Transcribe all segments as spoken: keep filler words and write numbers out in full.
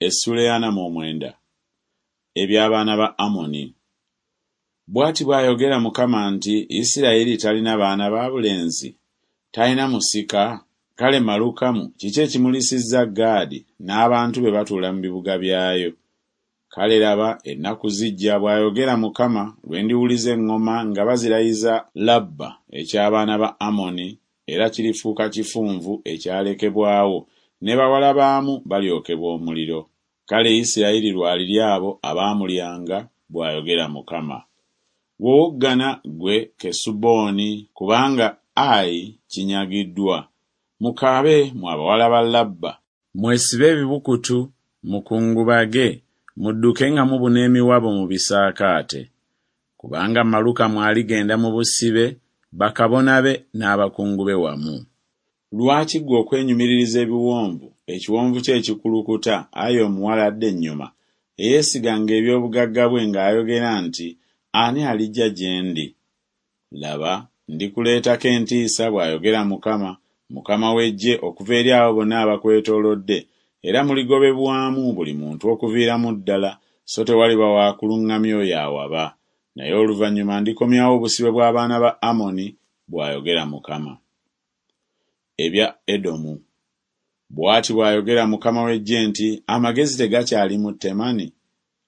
Essuula ey'ana mu omwenda. Eby'abaana ba Amoni. Bw'ati bw'ayogera Mukama nti, Isirayiri talina baana ba bulenzi? Talina musika? Kale Malukamu kiki ekimulisizza Gaadi n'abantu be batuula mu bibuga byayo? Kale laba, ennaku zijja, bw'ayogera Mukama, lwe ndiwuliza eŋŋoma nga bazirayiza Labba eky'abaana ba Amoni, era kirifuuka kifunvu ekyalekebwawo, ne bawala baamu balyokebwa omuliro. Kale Isirayiri lw'alirya abo abaamulyanga, bw'ayogera Mukama. Wowoggana ggwe Kesuboni, kubanga Ayi kinyagiddwa. Mukaabe mmwe abawala ba Labba, mwesibe ebibukutu, mukungubage, mudduke nga mubuna emiwabo mu bisaakaate. Kubanga Malukamu aligenda mu busibe, bakabona be n'abakungu be wamu. Lwaki ggwe okwenyumiririza ebiwonvu, ekiwonvu kyo ekikulukuta, ayi omuwala adda ennyuma, eyeesiganga eby'obugagga bwe ng'ayogera nti Ani alijja gye ndi? Laba, ndikuleetako entiisa, bw'ayogera Mukama, Mukama w'eggye, okuva eri abo bonna abakwetoolodde, era muligobebwamu buli muntu okuviiramu ddala, so tewaliba wa kuluŋŋamya oyo awaba. Naye oluvannyuma ndikomyawo obusibe bw'abaana ba Amoni, bw'ayogera Mukama. Ebya Edomu. Bw'ati bw'ayogera Mukama w'eggye nti, Amagezi tegakyali mu Temani?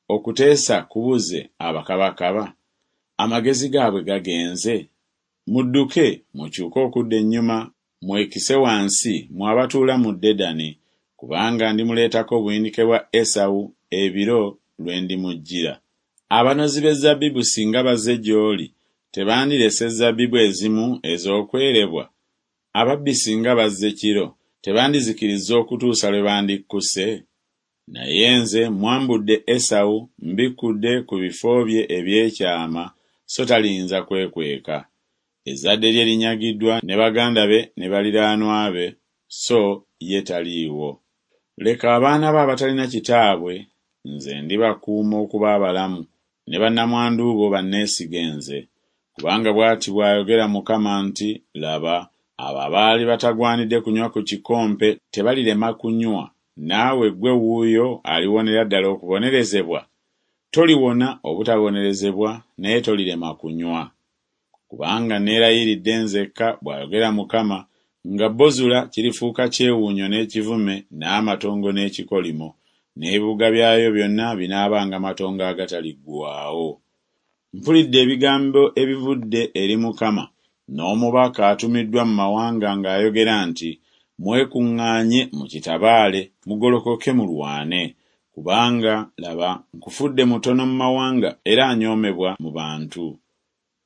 Okuteesa kubuze abakabakaba? Amagezi gaabwe gagenze? Mudduke, mukyuke okudda ennyuma, mwekise wansi, mmwe abatuula mu Dedani, kubanga ndimuleetako obuyinike bwa Esawu ebiro lwe ndimujjira. Abanozi b'ezzabbibu singa bazze gy'oli, tebandirese zzabibu ezimu ez'okwerebwa? Ababbi singa bazze kiro, tebandizikirizza okutuusa lwe bandikkuse? Naye nze mmwambudde Esawu, mbikkudde ku bifo bye eby'ekyama, so taliyinza kwekweka. Ezzadde lye linyagiddwa ne baganda be ne baliraanwa be, so ye taliiwo. Leka abaana bo abatalina kitaabwe, nze ndibakuuma okuba abalamu, ne bannamwandu bo banneesige nze. Kubanga bw'ati bw'ayogera Mukama nti, Laba, abo abaali batagwanidde kunywa ku kikompe tebalirema kunywa, naawe ggwe wuuyo aliwonera ddala okubonerezebwa? Toliwona obutabonerezebwa, naye tolirema kunywa. Kubanga neerayiridde nzekka, bw'ayogera Mukama, nga Bozula kirifuuka kyewuunyo n'ekivume n'amatongo n'ekikolimo, n'ebibuga byayo byonna binaabanga matongo agataliggwaawo. Mpulidde ebigambo ebivudde eri Mukama, n'omubaka atumiddwa mu mawanga ng'ayogera nti Mwekuŋŋaanye mukitabaale, mugolokoke mulwane. Kubanga, laba, nkufudde mutono mu mawanga era anyoomebwa mu bantu.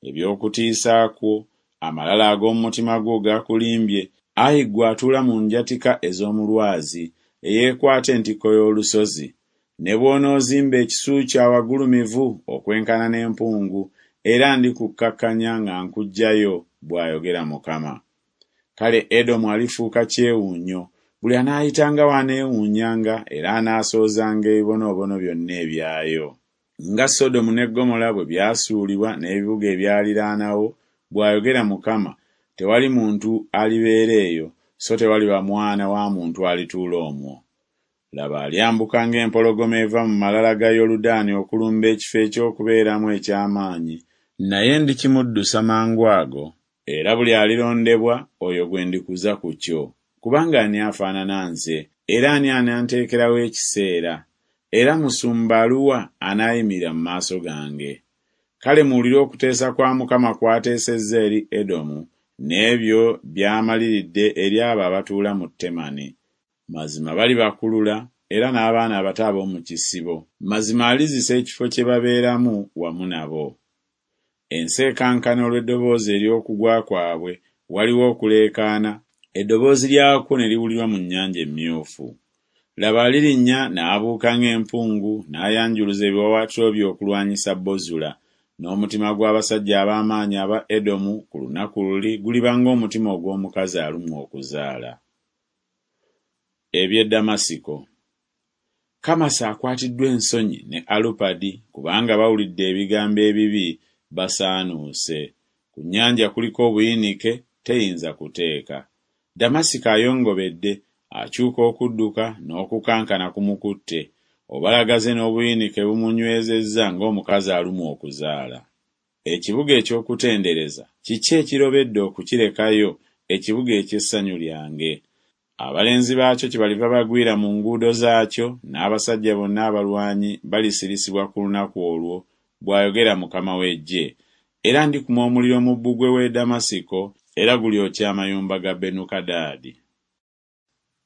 Eby'okutiisa kwo, amalala ag'omu mutima gwo gakulimbye, ayi ggwe atuula mu njatika ez'omu lwazi, eyeekwata entikko y'olusozi. Ne bw'onoozimba ekisu kyo awagulumivu okwenkana n'empungu, era ndikukkakkanya nga nkuggyayo, bw'ayogera Mukama. Kale Edomu alifuuka kyewuunyo, buli anaayitangawo aneewuunyanga era anaasoozanga ebibonoobono byonna ebyayo. Nga Sodomu ne Ggomola bwe byasuulibwa n'ebibuga ebyaliraanawo, bw'ayogera Mukama, tewali muntu alibeera eyo, so tewaliba mwana wa muntu alituula omwo. Laba, alyambuka ng'empologoma eva mu malala ga Yoludaani okulumba ekifo eky'okubeeramu eky'amaanyi, naye ndikimuddusa mangu ago, era buli alirondebwa, oyo gwe ndikuza ku kyo. Kubanga ani afaanana nze, era ani ananteekerawo ekiseera? Era musumba aluwa anaayimirira mu maaso gange? Kale muwulire okuteesa kwa Mukama kw'ateesezza eri Edomu, n'ebyo by'amaliridde eri abo abatuula mu Temani. Mazima balibakulula, era n'abaana abato ab'omu kisibo, mazima alizisa ekifo kye babeeramu wamu nabo. Ensi ekankana olw'eddoboozi ery'okugwa kwabwe, waliwo okuleekaana, eddoboozi lyakwo ne liwulirwa mu Nnyanja Emmyufu. Laba, alirinnya n'abuuka ng'empungu, n'ayanjuluza ebiwaawaatiro bye okulwanyisa Bozula, n'omutima gw'abasajja ab'amaanyi aba Edomu ku lunaku luli guliba ng'omutima ogw'omukazi alumwa okuzaala. Eby'e Ddamasiko. Kamasi akwatiddwa ensonyi ne Alupadi, kubanga bawulidde ebigambo ebibi, basaanuuse. Ku nnyanja kuliko obuyinike, teyinza kuteeka. Ddamasiko ayongobedde, akyuka okudduka, n'okukankana kumukutte. Obalagaze n'obuyinike bumunywezezza ng'omukazi alumwa okuzaala. Ekibuga eky'okutendereza kiki ekirobedde okukirekayo, ekibuga eky'essanyu lyange? Abalenzi baakyo kyebaliva bagwira mu nguudo zaakyo, n'abasajja bonna abalwanyi balisirisibwa ku lunaku olwo, bw'ayogera Mukama w'eggye. Era ndikuma omuliro mu bbugwe w'e Ddamasiko, era gulyokya amayumba ga Benukadaadi.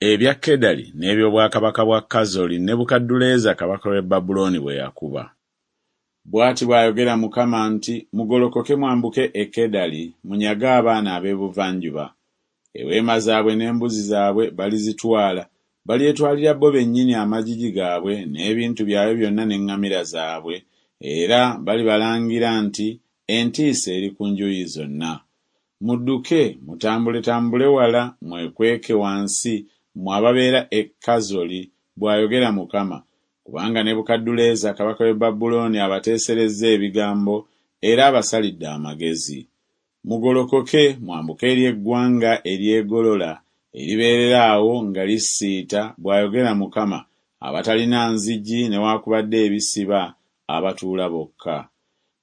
Ebya Kedali n'eby'obwakabaka bwa Kazoli Nebukadduleeza kabaka w'e Babulooni bwe yakuba. Bw'ati bw'ayogera Mukama nti Mugolokoke mwambuke e Kedali, munyage abaana ab'ebuvanjuba. Eweema zaabwe n'embuzi zaabwe balizitwala, balyetwalira bo bennyini amagigi gaabwe n'ebintu byabwe byonna n'eŋŋamira zaabwe, era balibalangira nti Entiisa eri ku njuyi zonna. Mudduke, mutambuletambule wala, mwekweke wansi, mmwe ababeera e Kazoli, bw'ayogera Mukama, kubanga Nebukadduleeza kabaka w'e Babulooni abateeserezza ebigambo, era abasalidde amagezi. Mugolokoke mwambuke eri eggwanga eryegolola, eribeerera awo nga lisiita, bw'ayogera Mukama, abatalina nzigi newaakubadde ebisiba, abatuula bokka.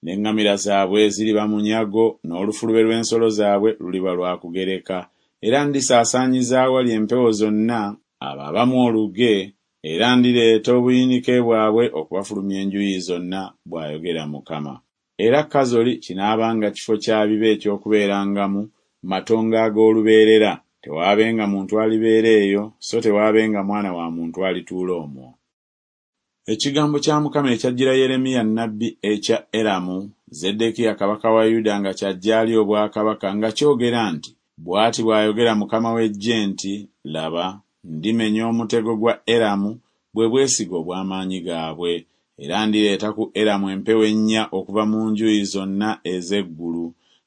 N'eŋŋamira zaabwe ziriba munyago, n'olufulube lw'ensolo zaabwe luliba lwa kugereka, era ndisaasaanyiza awali empewo zonna abo abamu oluge, era ndireeta obuyinike bwabwe okubafulumya enjuyi zonna, bw'ayogera Mukama. Era Kazoli kinaabanga kifo kya bibe eky'okubeerangamu, matongo ag'olubeerera, tewaabenga muntu alibeera eyo, so tewaabenga mwana wa muntu alituula omwo. Ekigambo kya Mukama ekyajjira Yeremiya nnabbi ekya Eramu, Zeddekiya kabaka wa Yuda nga ky'aggya ali obwakabaka nga kyogera nti Bw'ati bw'ayogera Mukama w'eggye nti Laba, ndimenya omutego gwa Eramu, bwe bwesige obw'amaanyi gaabwe, era ndireeta ku Eramu empewo ennya okuva mu njuyi zonna ez'eggulu,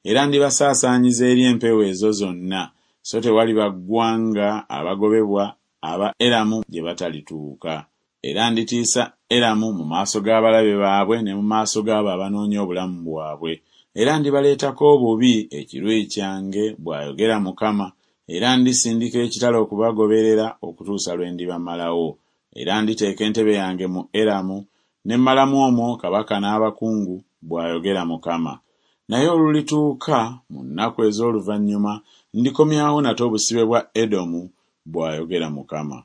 era ndibasaasaanyiza eri empewo ezo zonna, so tewaliba ggwanga abagobebwa aba Eramu gye batalituuka. Era nditiisa Eramu mu maaso g'abalabe baabwe ne mu maaso g'abo abanoonya obulamu bwabwe, era ndibaleetako obubi ekiruyi kyange, bw'ayogera Mukama, era ndisindika ekitala okubagoberera okutuusa lwe ndibamalawo. Era nditeeka entebe yange mu Eramu, ne mmalamu omwo kabaka n'abakungu, bw'ayogera Mukama. Naye olulituuka mu nnaku ez'oluvannyuma ndikomyawo nate obusibe bwa Edomu, bw'ayogera Mukama.